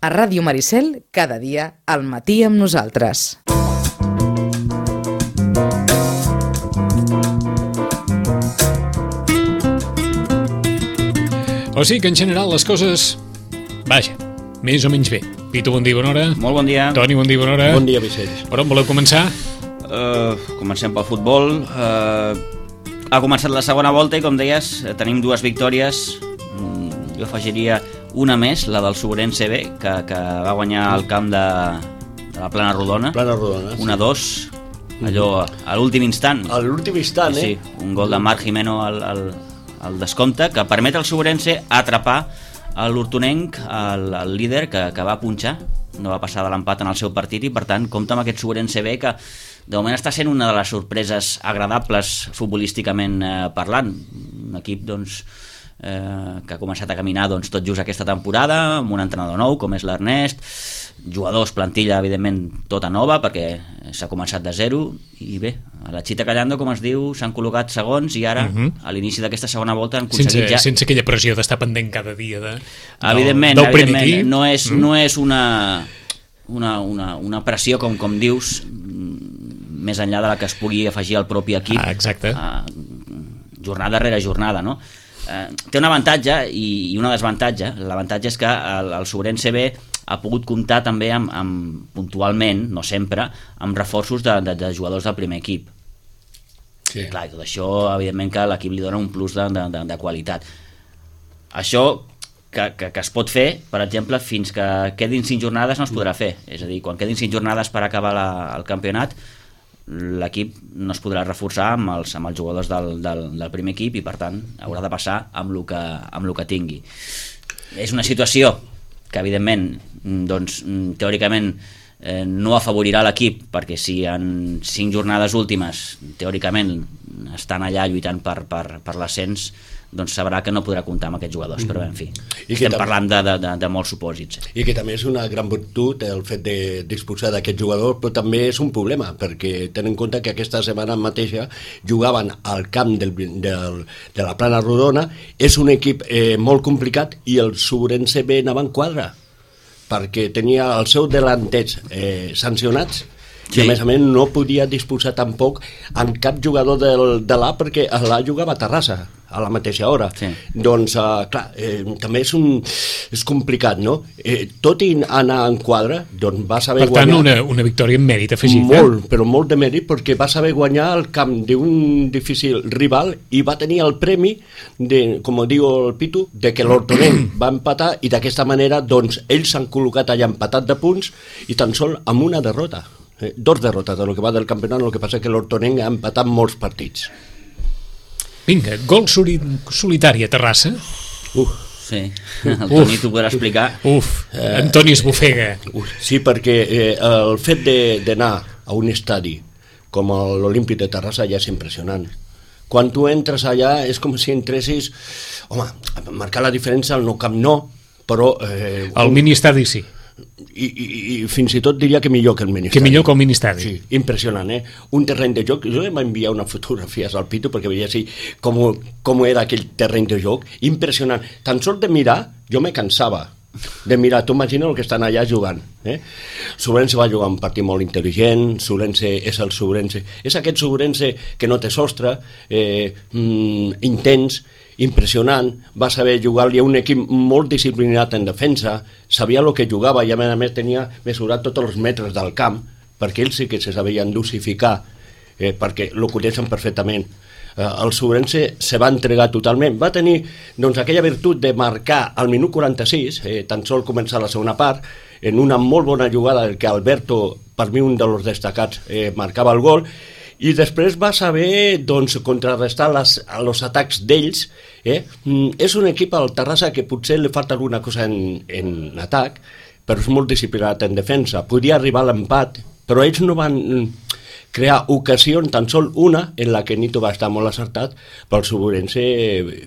A Ràdio Maricel, cada dia, al matí amb nosaltres. O sigui que en general les coses, vaja, més o menys bé. Pitu, bon dia, bona hora. Molt bon dia. Toni, bon dia, bona hora. Bon dia, Vicenç. Per on voleu començar? Comencem pel futbol. Ha començat la segona volta i, com deies, tenim dues victòries. Jo afegiria una més, la del Sobrense B, que va guanyar al camp de la Plana Rodona. Plana Rodona, sí. 1-2, allò a l'últim instant. A l'últim instant, Sí, un gol de Marc Jimeno al descompte, que permet al Sobrense atrapar l'Hortonenc, el líder, que va punxar, no va passar de l'empat en el seu partit, i per tant compta amb aquest Sobrense B, que de moment està sent una de les sorpreses agradables futbolísticament parlant. Un equip, doncs, que ha començat a caminar tot just aquesta temporada, amb un entrenador nou com és l'Ernest, jugadors, plantilla evidentment tota nova perquè s'ha començat de zero, i bé, a la Chita Callando, com es diu, s'han col·locat segons i ara a l'inici d'aquesta segona volta han aconseguit sense aquella pressió d'estar pendent cada dia evidentment, no és una pressió com dius, més enllà de la que es pugui afegir al propi equip, exacte. Jornada rere jornada, no? Té un avantatge i un desavantatge. L'avantatge és que el Sobrense B ha pogut comptar també amb puntualment, no sempre, amb reforços de jugadors del primer equip. Sí. Clar, i tot això, evidentment, que l'equip li dona un plus de qualitat. Això que es pot fer, per exemple, fins que quedin 5 jornades no es podrà fer. És a dir, quan quedin 5 jornades per acabar el campionat, l'equip no es podrà reforçar amb els jugadors del primer equip, i per tant haurà de passar amb el que tingui. És una situació que evidentment, doncs, teòricament no afavorirà l'equip, perquè si en 5 jornades últimes teòricament estan allà lluitant per l'ascens, doncs sabrà que no podrà comptar amb aquests jugadors, però en fi, estem parlant de molts supòsits. I que també és una gran virtut el fet de disposar d'aquest jugador, però també és un problema, perquè tenen en compte que aquesta setmana mateixa jugaven al camp de la Plana Rodona. És un equip molt complicat, i el Sobrense B anava en quadra, perquè tenia els seus delanters sancionats, i a més no podia disposar tampoc amb cap jugador de l'A, perquè l'A jugava a Terrassa a la mateixa hora. Sí. Doncs, clar, també és complicat, no? Tot i anar en quadre, doncs va saber guanyar... Per tant, una victòria amb mèrit afegit. Molt, però molt de mèrit, perquè va saber guanyar el camp d'un difícil rival, i va tenir el premi, com diu el Pitu, de que l'Hortonenc va empatar, i d'aquesta manera, doncs, ells s'han col·locat allà empatat de punts, i tan sol amb una derrota. 2 derrotes del que va del campionat. El que passa és que l'Hortonenc ha empatat molts partits. Vinga, gol solitari a Terrassa. Sí, el Toni t'ho podrà explicar. Antoni Esbufega. Sí, perquè el fet d'anar a un estadi com l'Olímpic de Terrassa ja és impressionant. Quan tu entres allà és com si entressis, home, marcar la diferència al Nou Camp no, però... El mini-estadi sí. I fins i tot diria que millor que el mini-estadi. Que millor que el mini-estadi. Sí, impressionant, Un terreny de joc. Jo em va enviar una fotografia al Pitu perquè veia així com era aquell terreny de joc. Impressionant. Tan sols de mirar, jo me cansava de mirar. Tu imagina el que estan allà jugant. Sobrense va jugar un partit molt intel·ligent. Sobrense és el Sobrense. És aquest Sobrense que no té sostre, intens, impressionant. Va saber jugar-li a un equip molt disciplinat en defensa, sabia el que jugava, i a més tenia mesurat tots els metres del camp, perquè ells sí que se sabien dosificar, perquè ho coneixen perfectament. El Sobrense se va entregar totalment. Va tenir, doncs, aquella virtut de marcar al minut 46, tan sol començar la segona part, en una molt bona jugada que Alberto, per mi un dels destacats, marcava el gol, i després va saber, doncs, contrarrestar els atacs d'ells. És un equip al Terrassa que potser li falta alguna cosa en atac, però és molt disciplinat en defensa. Podia arribar a l'empat, però ells no van crear ocasions, tan sol una, en la que Nito va estar molt acertat, però el Sobrense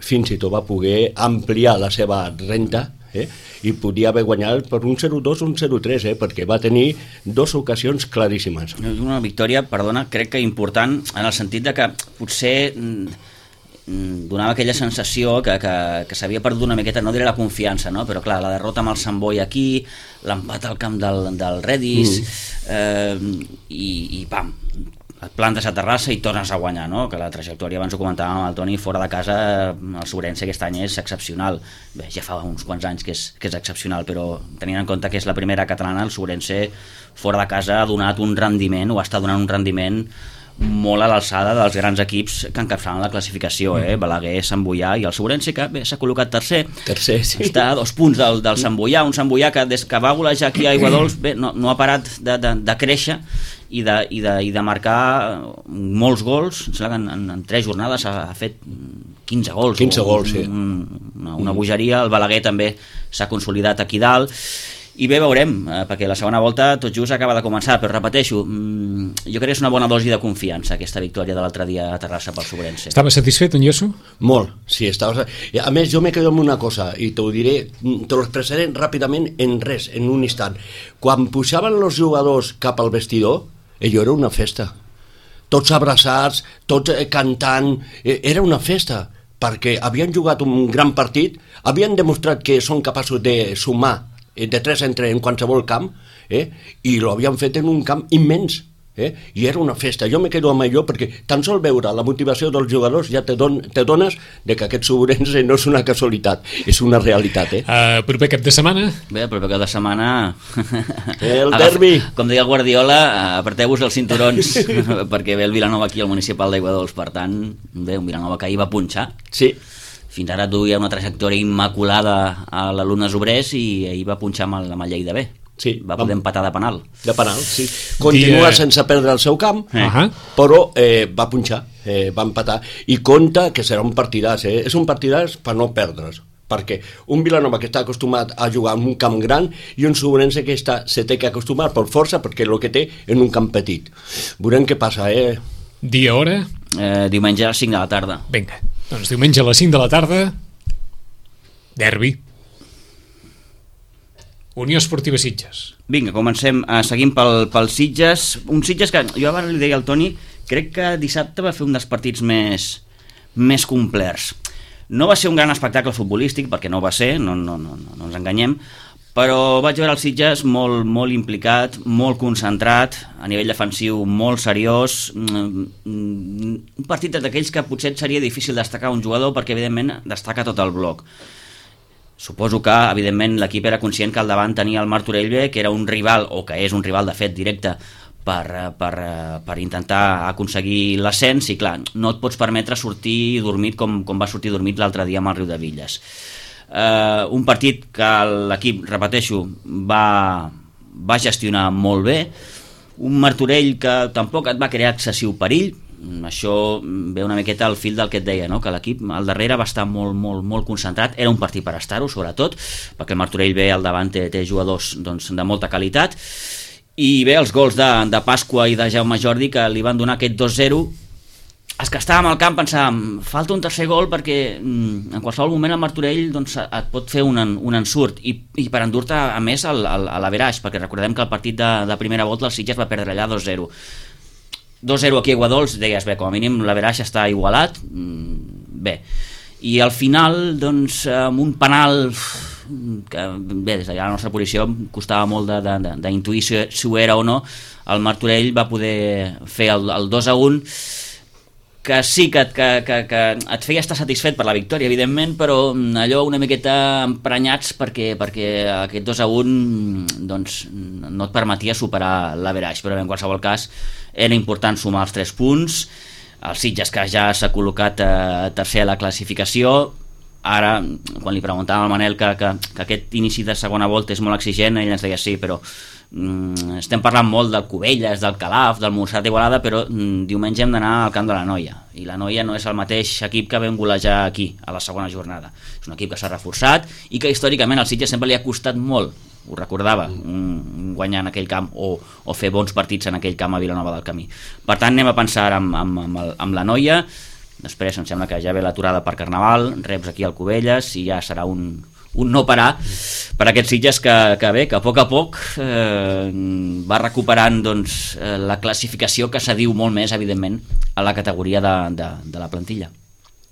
fins i tot va poder ampliar la seva renta, i podia haver guanyat per un 0-2 o un 0-3, perquè va tenir 2 ocasions claríssimes. Una victòria, perdona, crec que important, en el sentit de que potser donava aquella sensació que s'havia perdut una miqueta, no diré la confiança, no? Però clar, la derrota amb el Sant Boi aquí, l'empat al camp del Redis, i pam, et plantes a Terrassa i tornes a guanyar, no? Que la trajectòria, abans ho comentàvem amb el Toni, fora de casa el Sobrense aquest any és excepcional. Bé, ja fa uns quants anys que és excepcional, però tenint en compte que és la primera catalana, el Sobrense fora de casa ha donat un rendiment, o està donant un rendiment molt a l'alçada dels grans equips que encapçalen la classificació, Balaguer, Sant Boià i el Sobrense, que bé, s'ha col·locat tercer, sí. Està a 2 punts del Sant Boià, un Sant Boià que des que va golejar aquí a Aiguadols bé, no ha parat de créixer i de marcar molts gols. Em sembla que en 3 jornades ha fet 15 gols. 15 gols, sí. Una bogeria. El Balaguer també s'ha consolidat aquí dalt. I bé, veurem, perquè la segona volta tot just acaba de començar, però repeteixo, jo crec que és una bona dosi de confiança aquesta victòria de l'altre dia a Terrassa pel Sobrense. Estava satisfet, en Ioso? Molt, sí, estava. A més, jo me quedo amb una cosa, i t'ho diré, te lo expressaré ràpidament en res, en un instant. Quan pujaven els jugadors cap al vestidor, allò era una festa. Tots abraçats, tots cantant, era una festa, perquè havien jugat un gran partit, havien demostrat que són capaços de sumar de 3 en qualsevol camp, i lo havien fet en un camp immens, i era una festa. Jo me quedo amb allò perquè tan sol veure la motivació dels jugadors ja te dones de que aquest Sobrense no és una casualitat, és una realitat. Proper cap de setmana? Bé, proper cap de setmana el derbi, com deia el Guardiola, apreteu-vos els cinturons perquè ve el Vilanova aquí al municipal d'Aiguadols. Per tant, bé, un Vilanova que ahir va punxar, sí. Fins ara duia una trajectòria immaculada a l'Alumnes Obrers i ahir va punxar amb el Lleida B. Sí, va poder empatar de penal. De penal, sí. Continua sense perdre el seu camp, però va punxar, va empatar, i compta que serà un partidàs, és un partidàs per no perdre's, perquè un Vilanova que està acostumat a jugar en un camp gran i un Sobrense que se té que acostumar per força perquè el que té en un camp petit. Veurem què passa, Dia, hora? Diumenge a les 5 de la tarda. Vinga, doncs diumenge a les 5 de la tarda, derbi. Unió Esportiva Sitges. Vinga, comencem, seguim pel Sitges. Un Sitges que, jo abans li deia al Toni, crec que dissabte va fer un dels partits més complerts. No va ser un gran espectacle futbolístic, perquè no va ser, no ens enganyem, però vaig veure el Sitges molt implicat, molt concentrat, a nivell defensiu molt seriós, un partit d'aquells que potser seria difícil destacar un jugador perquè evidentment destaca tot el bloc. Suposo que evidentment l'equip era conscient que al davant tenia el Martorell B, que era un rival, o que és un rival de fet directe per intentar aconseguir l'ascens, i clar, no et pots permetre sortir dormit com va sortir dormit l'altre dia amb el Riudebitlles. Un partit que l'equip, repeteixo, va gestionar molt bé, un Martorell que tampoc et va crear excessiu perill. Això ve una miqueta al fil del que et deia, no? Que l'equip al darrere va estar molt concentrat, era un partit per estar-ho sobretot, perquè el Martorell B al davant té jugadors de molta qualitat, i bé, els gols de Pasqua i de Jaume Jordi que li van donar aquest 2-0. Els que estàvem al camp pensàvem, falta un tercer gol perquè en qualsevol moment el Martorell et pot fer un ensurt i per endur-te a més a l'averaix, perquè recordem que el partit de primera volta el Sitges va perdre allà 2-0 aquí a Aiguadols, deies, bé, com a mínim l'averaix està igualat, bé, i al final doncs amb un penal que bé, des de la nostra posició costava molt d'intuir si ho era o no, el Martorell va poder fer el 2-1, que sí que et feia estar satisfet per la victòria, evidentment, però allò una miqueta emprenyats perquè aquest 2-1 doncs, no et permetia superar l'averaix, però en qualsevol cas era important sumar els 3 punts. El Sitges, que ja s'ha col·locat tercer a la classificació, ara, quan li preguntàvem al Manel que aquest inici de segona volta és molt exigent, ell ens deia sí, però estem parlant molt del Cubelles, del Calaf, del Montserrat d'Igualada, però diumenge hem d'anar al camp de la Noia, i la Noia no és el mateix equip que vam golejar aquí a la segona jornada. És un equip que s'ha reforçat i que històricament al Sitges sempre li ha costat molt, ho recordava, guanyar en aquell camp o fer bons partits en aquell camp a Vilanova del Camí. Per tant, anem a pensar amb la Noia. Després em sembla que ja ve l'aturada per Carnaval, reps aquí al Cubelles i ja serà un no parar per aquests Sitges que a poc va recuperant doncs, la classificació, que s'adiu molt més evidentment a la categoria de la plantilla.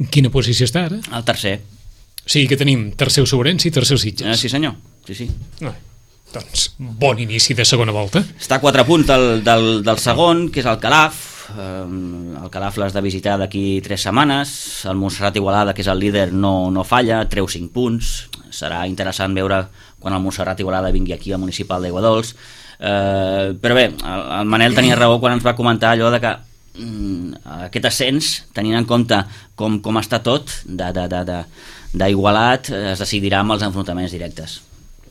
Quina posició està ara? El tercer. O sigui que tenim tercer Ourense i tercer Sitges. Sí senyor, sí. Doncs bon inici de segona volta. Està a 4 punts del segon, que és el Calaf. El Calaf l'has de visitar d'aquí 3 setmanes. El Montserrat Igualada, que és el líder, no falla, treu 5 punts. Serà interessant veure quan el Montserrat Igualada vingui aquí al municipal d'Aiguadols. Però bé, el Manel tenia raó quan ens va comentar allò de que aquest ascens, tenint en compte com està tot d'Igualat, es decidirà amb els enfrontaments directes,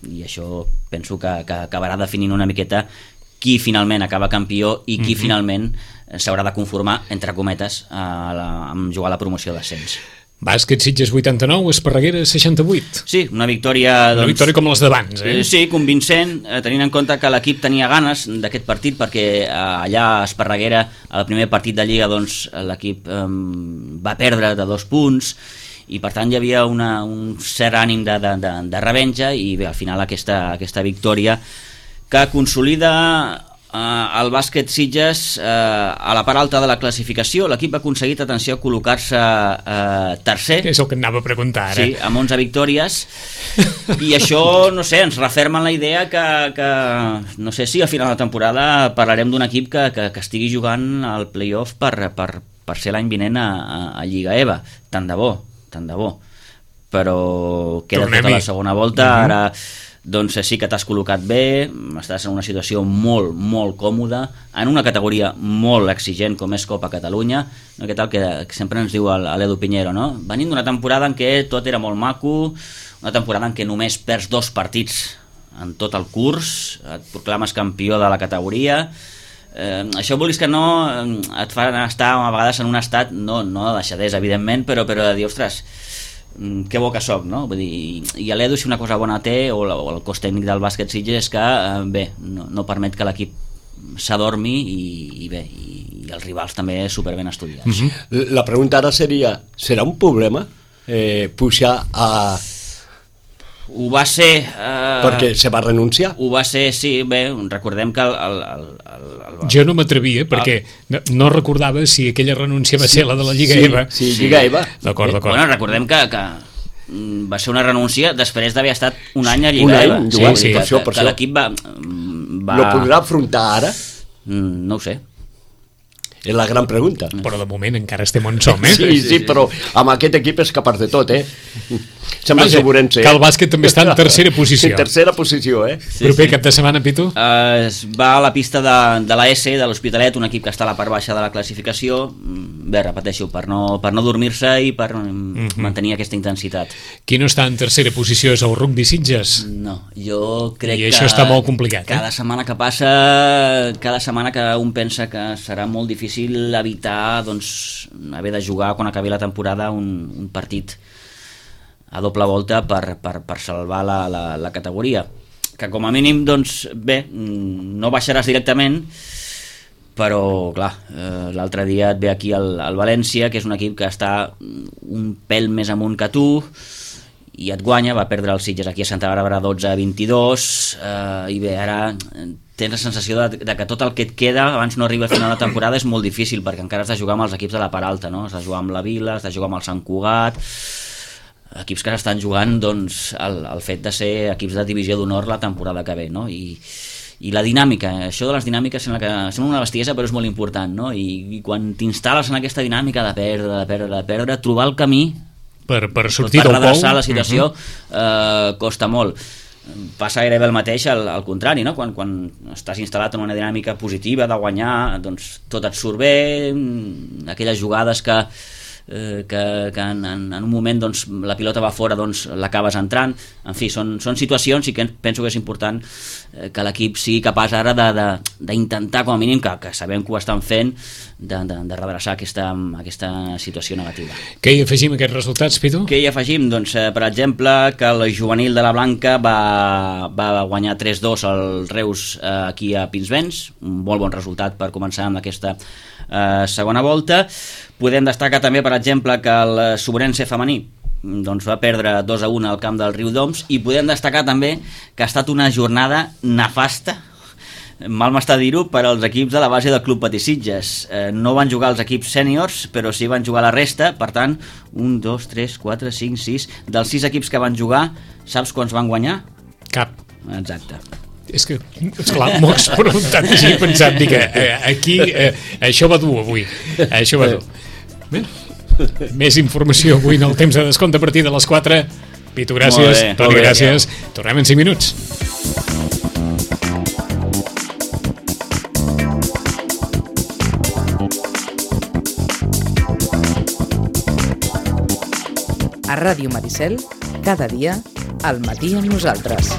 i això penso que acabarà definint una miqueta qui finalment acaba campió i qui finalment s'haurà de conformar, entre cometes, amb jugar a la promoció d'ascens. Bàsquet Sitges 89, Esparreguera 68. Sí, una victòria... Una victòria com les d'abans, Sí, convincent, tenint en compte que l'equip tenia ganes d'aquest partit, perquè allà a Esparreguera, al primer partit de Lliga, doncs, l'equip va perdre de 2 punts, i per tant hi havia un cert ànim de revenja, i bé, al final aquesta victòria que consolida el bàsquet Sitges a la part alta de la classificació. L'equip ha aconseguit, atenció, col·locar-se tercer. És el que anava a preguntar ara. Sí, amb 11 victòries, i això, no sé, ens referma en la idea que no sé si a final de temporada parlarem d'un equip que estigui jugant al playoff per ser l'any vinent a Lliga EVA. Tant de bo, però queda tota la segona volta. Ara doncs sí que t'has col·locat bé, estàs en una situació molt, molt còmoda, en una categoria molt exigent com és Copa Catalunya, no? Que tal que sempre ens diu l'Edu Piñero, no? Venint d'una temporada en què tot era molt maco, una temporada en què només perds 2 partits en tot el curs, et proclames campió de la categoria. Això, vulguis que no, et fa estar a vegades en un estat, no de deixadesa, evidentment, però de dir, ostres, que bo que soc, no? Vull dir, i l'Edu, si una cosa bona té, o el cos tècnic del bàsquet Sitges, és que bé, no permet que l'equip s'adormi, i bé, i els rivals també super ben estudiats. La pregunta ara seria, serà un problema pujar a... Ho va ser... perquè se va renunciar? Ho va ser, sí, bé, recordem que Jo no m'atrevia, perquè no recordava si aquella renúncia va ser la de la Lliga EVA. Sí, Lliga EVA. D'acord. Bueno, recordem que va ser una renúncia després d'haver estat un any a Lliga EVA. Sí, per això. Que l'equip va... No podrà afrontar ara? No ho sé. És la gran pregunta. Però de moment encara estem on som, Sí, però amb aquest equip és capaç de tot, Sembla Ourense. Que el bàsquet també està en tercera posició. En tercera posició, Proper cap de setmana, Pitu? Es va a la pista de la S, de l'Hospitalet, un equip que està a la part baixa de la classificació. Bé, repeteixo, per no dormir-se i per mantenir aquesta intensitat. Qui no està en tercera posició és el Rugby Sitges? No, jo crec que... I això està molt complicat, Cada setmana que passa, cada setmana que un pensa que serà molt difícil evitar, doncs, haver de jugar quan acabi la temporada un partit a doble volta per salvar la categoria, que com a mínim, doncs, bé, no baixaràs directament, però clar, l'altre dia et ve aquí el València, que és un equip que està un pèl més amunt que tu, i et guanya. Va perdre els Sitges aquí a Santa Bàrbara 12-22, i bé, ara tens la sensació de que tot el que et queda abans no arriba a final de temporada és molt difícil, perquè encara has de jugar amb els equips de la part alta, no? Has de jugar amb la Vila, has de jugar amb el Sant Cugat, equips que estan jugant, doncs, el fet de ser equips de divisió d'honor la temporada que ve, no? I la dinàmica, això de les dinàmiques sembla una bestiesa, però és molt important, no? I quan t'instal·les en aquesta dinàmica de perdre, trobar el camí per sortir del pou, per redreçar la situació, costa molt. Passa gairebé el mateix al contrari, no? Quan estàs instal·lat en una dinàmica positiva de guanyar, doncs tot et surt bé, aquelles jugades que en un moment, doncs, la pilota va fora, doncs l'acabes entrant. En fi, són situacions, i que penso que és important que l'equip sigui capaç ara d'intentar, com a mínim, que sabem que ho estan fent, de redreçar aquesta situació negativa. Què hi afegim a aquests resultats, Pitu? Què hi afegim? Doncs, per exemple, que el juvenil de la Blanca va guanyar 3-2 al Reus aquí a Pinsbens, un molt bon resultat per començar amb aquesta segona volta. Podem destacar també, per exemple, que el Ourense femení doncs va perdre 2-1 al camp del Riudoms, i podem destacar també que ha estat una jornada nefasta mal m'està dir-ho, per als equips de la base del Club Patí Sitges. No van jugar els equips sèniors, però sí van jugar la resta. Per tant, 1, 2, 3, 4, 5, 6... Dels 6 equips que van jugar, saps quants van guanyar? Cap. Exacte. És que, esclar, m'ho has preguntat així, pensant, dic, aquí això va dur avui, això va dur. Bé, més informació avui en el temps de descompte a partir de les 4. Pitu, gràcies. Toni, gràcies. Tornem en 5 minuts. A Ràdio Maricel, cada dia, al matí amb nosaltres.